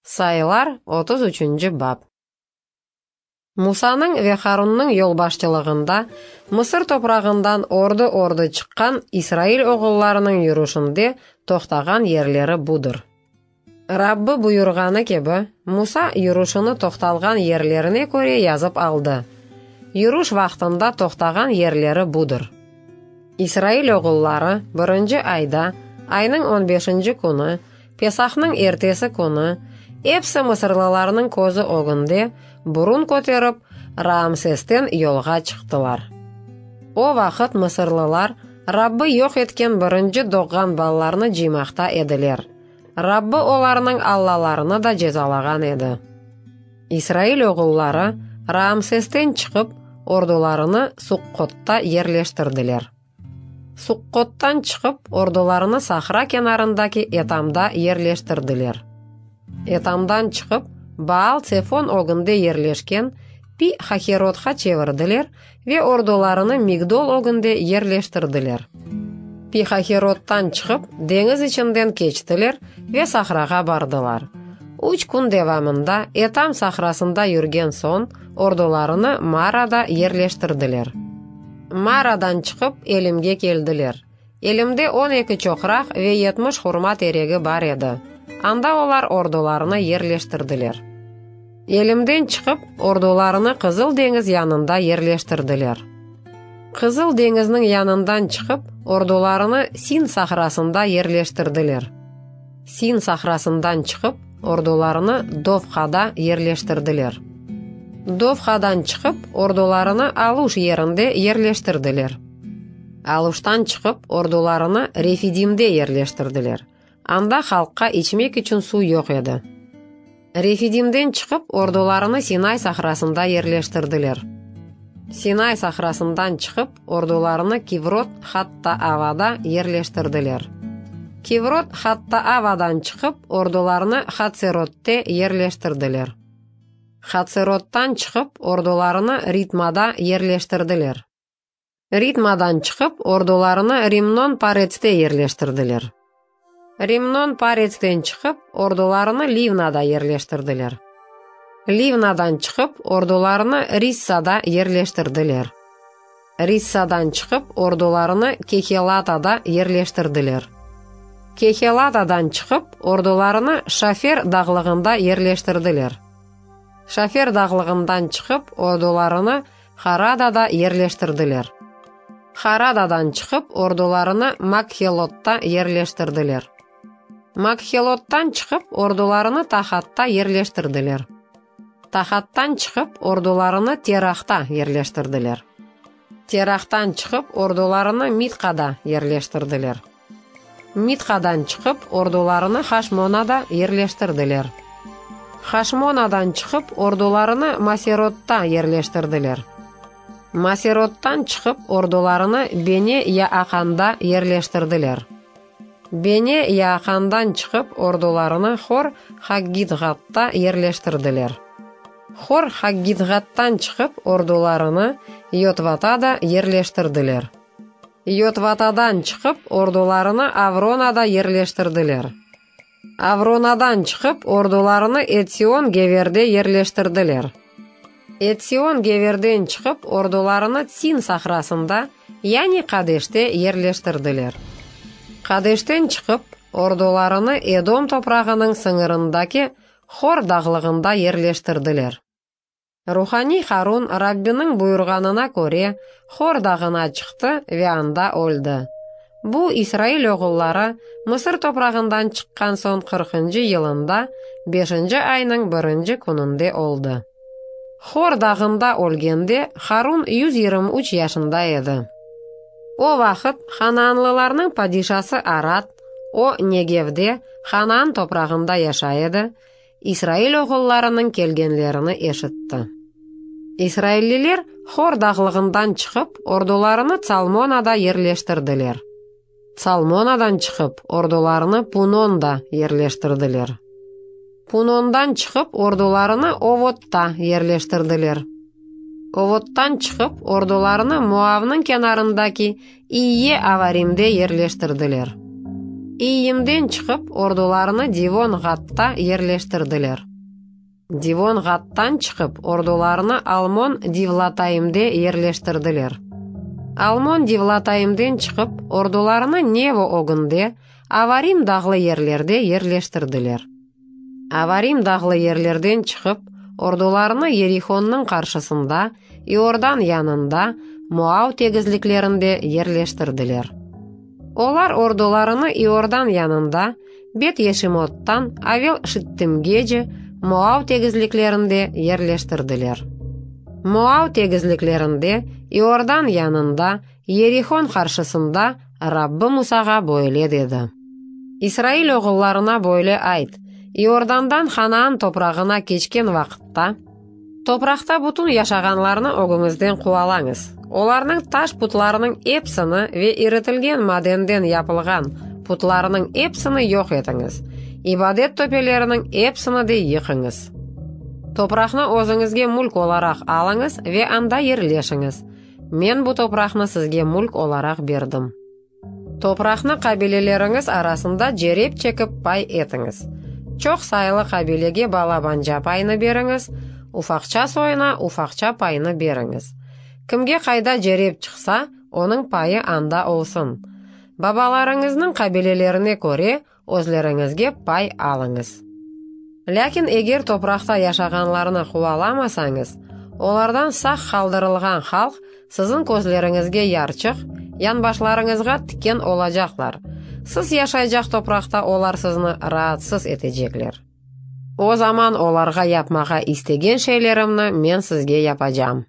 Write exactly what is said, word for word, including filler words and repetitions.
Sayılar, otuz üçünci bap. Musanıñ ve Harunnıñ yolbaşçılığında Mısır toprağından ordu-ordu çıqqan İsrail oğullarınıñ yürüşinde toqtağan yerleri budır. Rabbi buyurğanı kibi, Musa yürüşini toqtalğan yerlerine köre yazıp aldı. Yürüş vaqtında toqtağan yerleri budır. İsrail oğulları birinci ayda, aynıñ on beşinci künü, Pesahnıñ ertesi künü, episi mısırlılarnıñ közü ögünde burun köterip, Raamsesten yolğa çıqtılar. O vaqıt mısırlılar Rabbi yoq etken birinci doğğan balalarnı cıymaqta ediler. Rabbi olarnıñ allalarını da cezalağan edi. İsrail oğulları Raamsesten çıqıp, ordularını Suqqotta yerleştirdiler. Suqqottan çıqıp, ordularını sahra kenarındaki Etamda yerleştirdiler. Etamdan çıqıp, Baal-Tsefon ögünde yerleşken Pi-Haherotqa çevirdiler ve ordularını Migdol ögünde yerleştirdiler. Pi-Haherottan çıqıp, deñiz içinden keçtiler ve sahrağa bardılar. Üç kün devamında Etam sahrasında yürgen soñ, ordularını Marada yerleştirdiler. Maradan çıqıp, Elimge keldiler. Elimde on eki çoqraq ve yetmiş hurma teregi bar edi. Anda olar ordularını yerleştirdiler. Elimden çıqıp, ordularını Qızıl deñiz yanında yerleştirdiler. Qızıl deñizniñ yanından çıqıp, ordularını Sin sahrasında yerleştirdiler. Sin sahrasından çıqıp, ordularını Dofqada yerleştirdiler. Dofqadan çıqıp, ordularını Aluş yerinde yerleştirdiler. Aluştan çıqıp, ordularını Refidimde yerleştirdiler. Anda halqqa içmek içün suv yoq edi. Refidimden çıqıp, ordularını Sinay sahrasında yerleştirdiler. Sinay sahrasından çıqıp, ordularını Kivrot-Hattaavada yerleştirdiler. Kivrot-Hattaavadan çıqıp, ordularını Hatserotte yerleştirdiler. Hatserottan çıqıp, ordularını Ritmada yerleştirdiler. Ritmadan çıqıp, ordularını Rimnon-Paretste yerleştirdiler. Rimnon-Paretsten çıqıp, ordularını Livnada yerleştirdiler. Livnadan çıqıp, ordularını Rissada yerleştirdiler. Rissadan çıqıp, ordularını Kehelatada yerleştirdiler. Kehelatadan çıqıp, ordularını Şafer dağlığında yerleştirdiler. Şafer dağlığından çıqıp, ordularını Haradada yerleştirdiler. Haradadan çıqıp, ordularını Makhelotta yerleştirdiler. Makhelottan çıqıp, ordularını Tahatta yerleştirdiler. Tahattan çıqıp, ordularını Terahta yerleştirdiler. Terahtan çıqıp, ordularını Mitqada yerleştirdiler. Mitqadan çıqıp, ordularını Haşmonada yerleştirdiler. Haşmonadan çıqıp, ordularını Maserotta yerleştirdiler. Maserottan çıqıp, ordularını Bene-Yaaqanda yerleştirdiler. Bene-Yaaqandan çıqıp, ordularını Hor-Haggidğadta yerleştirdiler. Hor-Haggidğadtan çıqıp, ordularını Yotvatada yerleştirdiler. Yotvatadan çıqıp, ordularını Avronada yerleştirdiler. Avronadan çıqıp, ordularını Etsion-Geverde yerleştirdiler. Etsion-Geverden çıqıp, ordularını Tsin sahrasında, yani Qadeşte yerleştirdiler. Qadeşten çıqıp, ordularını Edom toprağınıñ sıñırındaki Hor dağlığında yerleştirdiler. Ruhaniy Harun Rabbiniñ buyurğanına köre Hor dağına çıqtı ve anda öldi. Bu, İsrail oğulları Mısır toprağından çıqqan soñ qırqıncı yılında, beşinci aynıñ birinci kününde oldı. Hor dağında ölgende Harun yüz yigirmi üç yaşında edi. O vaqıt Hanaanlılarnıñ padişası Arad, o Negevde, Hanaan toprağında yaşay edi, İsrail oğullarınıñ kelgenlerini eşitti. İsrailliler Hor dağlığından çıqıp, ordularını Tsalmonada yerleştirdiler. Tsalmonadan çıqıp, ordularını Punonda yerleştirdiler. Punondan çıqıp, ordularını Ovotta yerleştirdiler. Ovottan çıqıp, ordularını Moavnıñ kenarındaki İye-Avarimde yerleştirdiler. İyyimden çıqıp, ordularını Divon-Ğadta yerleştirdiler. Divon-Ğadtan çıqıp, ordularını Almon-Divlataimde yerleştirdiler. Almon-Divlataimden çıqıp, ordularını Nevo ögünde, Avarim dağlı yerlerde yerleştirdiler. Avarim dağlı yerlerden çıqıp, ordularını Yerihonnıñ qarşısında, İordan yanında, Moav tegizliklerinde yerleştirdiler. Olar ordularını İordan yanında, Bet-Yeşimottan Avel-Şittimgece, Moav tegizliklerinde yerleştirdiler. Moav tegizliklerinde, İordan yanında, Yerihon qarşısında Rabbi Musağa böyle dedi: İsrail oğullarına böyle ayt: İordandan Hanaan toprağına keçken vaqıtta, topraqta bütün yaşağanlarnı ögüñizden quvalañız. Olarnıñ taş putlarınıñ episini ve iritilgen madenden yapılğan putlarınıñ episini yoq etiñiz. İbadet töpeleriniñ episini de yıqıñız. Topraqnı özüñizge mülk olaraq alıñız ve anda yerleşiñiz. Men bu topraqnı sizge mülk olaraq berdim. Topraqnı qabileleriñiz arasında cerep çekip pay etiñiz. Çoq sayılı qabilege balabanca paynı beriñiz, ufaqça soyuna ufaqça paynı beriñiz. Kimge qayda cerep çıqsa, onıñ payı anda olsun. Babalarıñıznıñ qabilelerine köre özleriñizge pay alıñız. Lâkin eger topraqta yaşağanlarnı quvalamasañız, olardan sağ qaldırılğan halq siziñ közleriñizge yarçıq, yanbaşlarıñızğa tiken olacaqlar. Siz yaşaycaq topraqta olar sizni raatsız etecekler. O zaman olarğa yapmağa istegen şeylerimni men sizge yapacam.